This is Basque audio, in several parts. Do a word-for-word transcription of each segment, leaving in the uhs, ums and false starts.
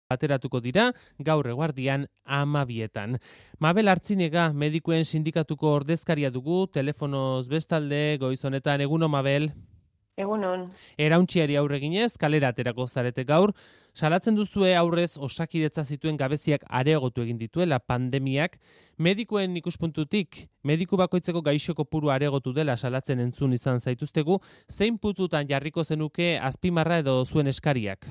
ateratuko dira gaur eguardian amabietan. Mabel Artzinega medikuen sindikatuko ordezkaria dugu, telefonoz bestalde, goiz honetan, eguno Mabel. Egunon. Erauntziari aurre ginez, kalera aterako zarete gaur, salatzen duzue aurrez osakidetza zituen gabeziak areagotu egin dituela pandemiak, medikuen ikuspuntutik, mediku bakoitzeko gaixo kopuru areagotu dela salatzen entzun izan zaituztegu, zein pututan jarriko zenuke azpimarra edo zuen eskariak?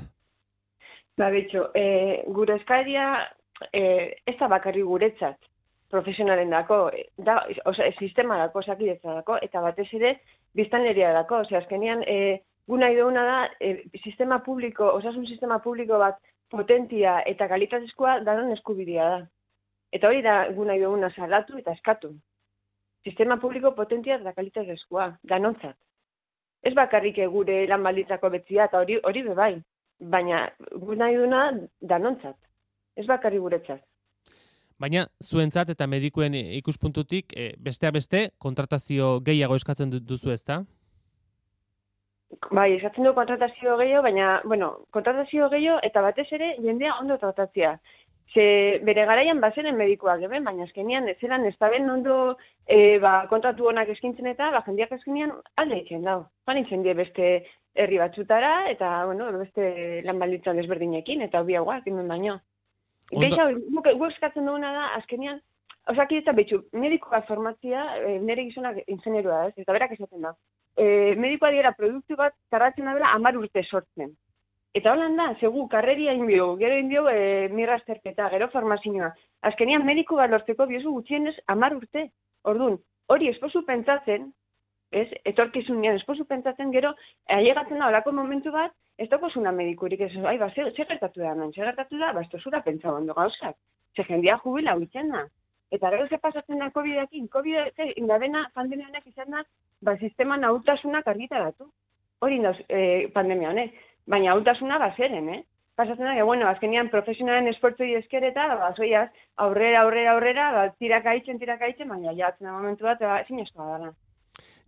Ba, betxo, e, gure eskaria e, ez da bakarri guretzat, profesionalen dako, da, oza, sistema dako, osakidetza dako, eta batez ere, biztanleria dako. Ose, azkenean, e, gu nahi duguna da, e, sistema publiko, osasun sistema publiko bat potentia eta kalitatezkoa danon eskubidea da. Eta hori da gu nahi duguna salatu eta eskatu. Sistema publiko potentia eta kalitatezkoa, danontzat. Ez bakarrik gure lan baldintzako betzia, eta hori hori bebai. Baina gu nahi duna danontzat, ez bakarri guretzat. Baina zuentzat eta medikuen ikuspuntutik, e, besteak beste, kontratazio gehiago eskatzen duzu ezta? Bai, eskatzen du kontratazio gehiago, baina, bueno, kontratazio gehiago eta batez ere jendea ondo tratatzea. Ze bere garaian bazenen medikuak eben, baina azkenean ez zelan ez da ben ondo e, ba, kontratu honak eskintzen eta ba, jendeak azkenean alde itzen dau. Joan itzen die beste herri batzutara eta bueno, beste lan baldintzan desberdinekin eta hobiagoak hemen baino. Geixa, guk eskatzen duguna da, azkenean, osakidetza betxu, medikoa formatzia, e, nire gizonak ingenieroa ez, eta berak esaten da. E, medikoa dira produktu bat tarratzen da bela hamar urte sortzen. Eta holan da, segu, karreria inbio, gero inbio e, mirrazterketa, gero formazioa. Azkenean mediku bat lortzeko biozu gutxienez hamar urte. Orduan, hori esposu pentsatzen, ez, etorkizunean esposu pentsatzen, gero, ailegatzen da, olako momentu bat, ez dakozuna medikurik, ez, ai, ba, zer gertatu da, non, zer gertatu da, ba, ez tozura pentsa ondo gauzak. Ze jendia jubila huitzen da. Eta gero ze pasatzen da COVID-ekin, COVID indabena pandemia honek izan da, ba, sistema nahutasunak argitaratu. Hori dauz eh, pandemia honek. Baina hautasuna bazeren, eh? Pasatzen da, que, bueno, azkenean profesionalen esportzoi esker eta, ba, zoiaz, aurrera, aurrera, aurrera, ba, tiraka itzen, tiraka itzen, baina jatzen da momentu bat, ba, zinezkoa dara.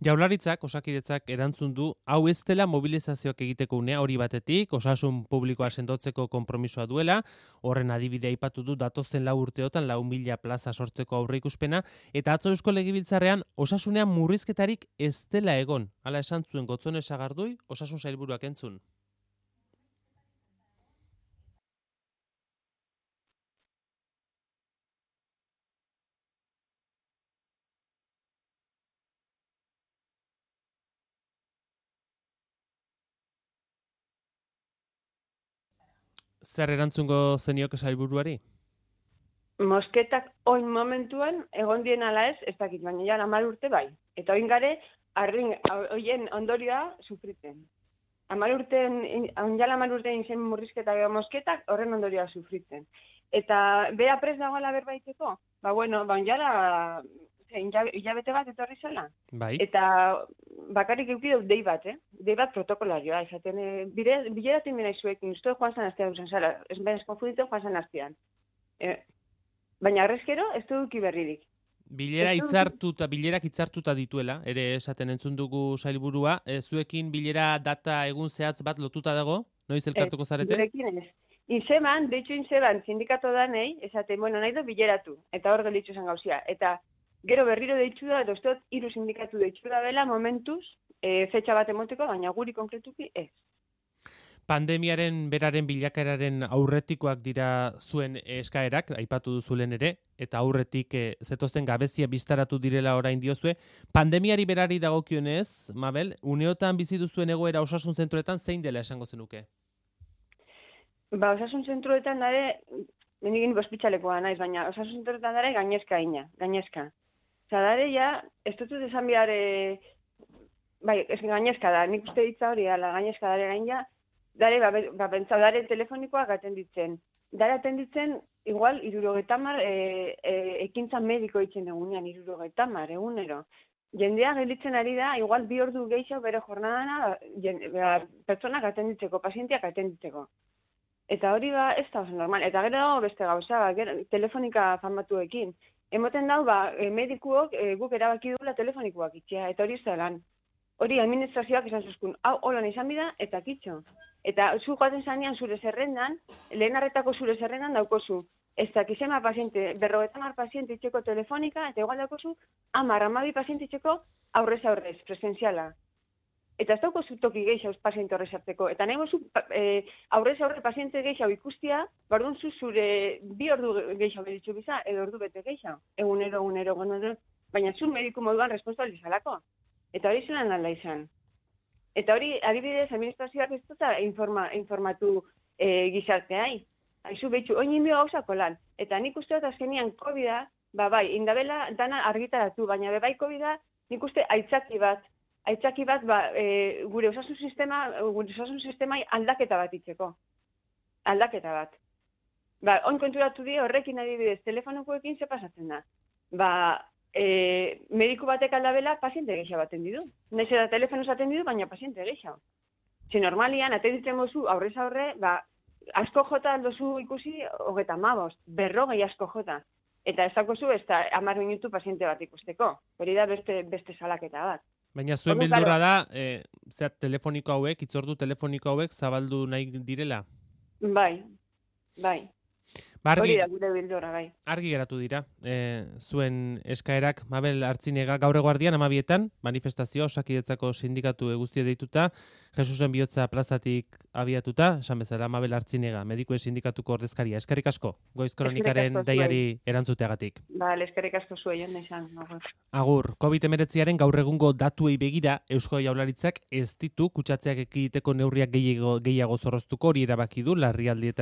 Jaurlaritzak, osakidetzak erantzun du, hau ez dela mobilizazioak egiteko unea hori batetik, osasun publikoa sendotzeko konpromisoa duela, horren adibidea aipatu du datozen lau urteotan lau mila plaza sortzeko aurreikuspena, eta atzo Eusko Legebiltzarrean osasunean murrizketarik ez dela egon. Hala esan zuen Gotzone Sagardui, osasun sailburuak entzun. Zer erantzungo zenioke sailburuari? Mosketak oin momentuan egon dien ala ez, ez dakit, baina ja hamar urte bai. Eta oin gare, arrin, oien ondorioa sufriten. Hamar urten, onjala hamar urtein zen murrizketak edo mosketak, horren ondorioa sufriten. Eta bea prez dagoela berbaiteko, ba bueno, ba onjala hilabete bat etorri zela. Bai. Eta bakarrik eukideu dei bat, eh? Dei bat protokolarioa, esaten, e, bileratzen bina izuekin, uste joan zan astean usan zara, ez benez konfunditzen joan zan astean. E, baina arrezkero, ez du duki berririk. Bilera hitzartuta, bilerak hitzartuta dituela, ere esaten entzun dugu sailburua, e, zuekin bilera data egun zehatz bat lotuta dago, noiz elkartuko zarete? Gurekin ez. Inzeban, deitxu inzeban, sindikato danei, esaten, bueno, nahi du bileratu, eta hor gelitzu zen gauzia. Eta gero berriro deitxu da, edo estot, hiru sindikatu deitxu da bela, momentuz, e, fetxa bat emoteko, baina guri konkretuki ez. Pandemiaren beraren bilakaeraren aurretikoak dira zuen eskaerak, aipatu duzulen ere, eta aurretik e, zetozten gabezia biztaratu direla orain diozue. Pandemiari berari dagokionez, Mabel, uneotan bizi duzuen egoera osasun zentroetan zein dela esango zenuke? Ba, osasun zentroetan dare, mendigin bospitxalekoa naiz, baina osasun zentroetan dare gainezka ina, gainezka. Osa, dare ja, ez dut esan bihar, e, bai, ez gainezka da, nik uste ditza hori, ala, gainezka dare gain ja, dare, ba, ba pentsa, dare telefonikoak atenditzen. Dare atenditzen, igual, irurogeta mar, e, e, ekintza mediko itzen egunean, irurogeta mar, egunero. Jendea gelitzen ari da, igual bi ordu gehiago bere jornadana, ba, pertsonak atenditzeko, pazienteak atenditzeko. Eta hori ba, ez da oso normal. Eta gero beste gauza, ba, gero, telefonika famatuekin. Emoten dau, ba, medikuok e, guk erabaki dula telefonikoak itxea, eta hori ez da lan. hori administrazioak esan zuzkun, hau holan izan bida, eta kitxo. Eta zu joaten zanean zure zerrendan, lehen arretako zure zerrendan daukozu, ez dakizema paziente, berrogeta mar paziente itxeko telefonika, eta igual daukozu, amar, amabi paziente itxeko aurrez aurrez, presenziala. Eta ez daukozu toki gehiago paziente horrez hartzeko. Eta nahi gozu e, aurrez aurre paziente gehiago ikustia, bardun zu zure bi ordu gehiago beditzu biza, edo ordu bete gehiago. Egunero, egunero, egunero, baina zu mediku moduan responsabilizalako. Eta hori zelan alda izan. Eta hori, adibidez, administrazioak ez duta informa, informatu e, gizarteai. Haizu behitzu, oin inbio gauzako lan. Eta nik uste dut azkenian COVID-a, ba bai, indabela dana argitaratu, baina bebai COVID-a nik uste aitzaki bat, aitzaki bat ba, e, gure osasun sistema, gure osasun sistemai aldaketa bat itzeko. Aldaketa bat. Ba, oin konturatu die horrekin adibidez, telefonokoekin ze pasatzen da. Ba, E, mediku batek aldabela paziente gehiago atendidu. Naiz eta telefonoz atendidu, baina paziente gehiago. Ze normalian, atenditzen mozu aurrez aurre, ba, asko jota aldozu ikusi hogeta mabost, berrogei asko jota. Eta ez dakozu ez da hamar minutu paziente bat ikusteko. Hori da beste, beste salaketa bat. Baina zuen beldurra da, e, zera telefoniko hauek, itzordu telefoniko hauek zabaldu nahi direla? Bai, bai. Bargi, hori da gure bildura, bai. Argi geratu dira, e, zuen eskaerak Mabel Artzinega gaur eguardian amabietan, manifestazio Osakidetzako sindikatu guztie deituta, Jesusen bihotza plazatik abiatuta, esan bezala Mabel Artzinega, medikuen sindikatuko ordezkaria. Eskerrik asko, Goiz Kronikaren deiari erantzuteagatik. Ba, eskerrik asko zuei, jonda izan. Agur, covid hemeretziaren gaur egungo datuei begira, Eusko Jaurlaritzak ez ditu kutsatzeak ekiditeko neurriak gehiago, gehiago zorroztuko, hori erabaki du larrialdietan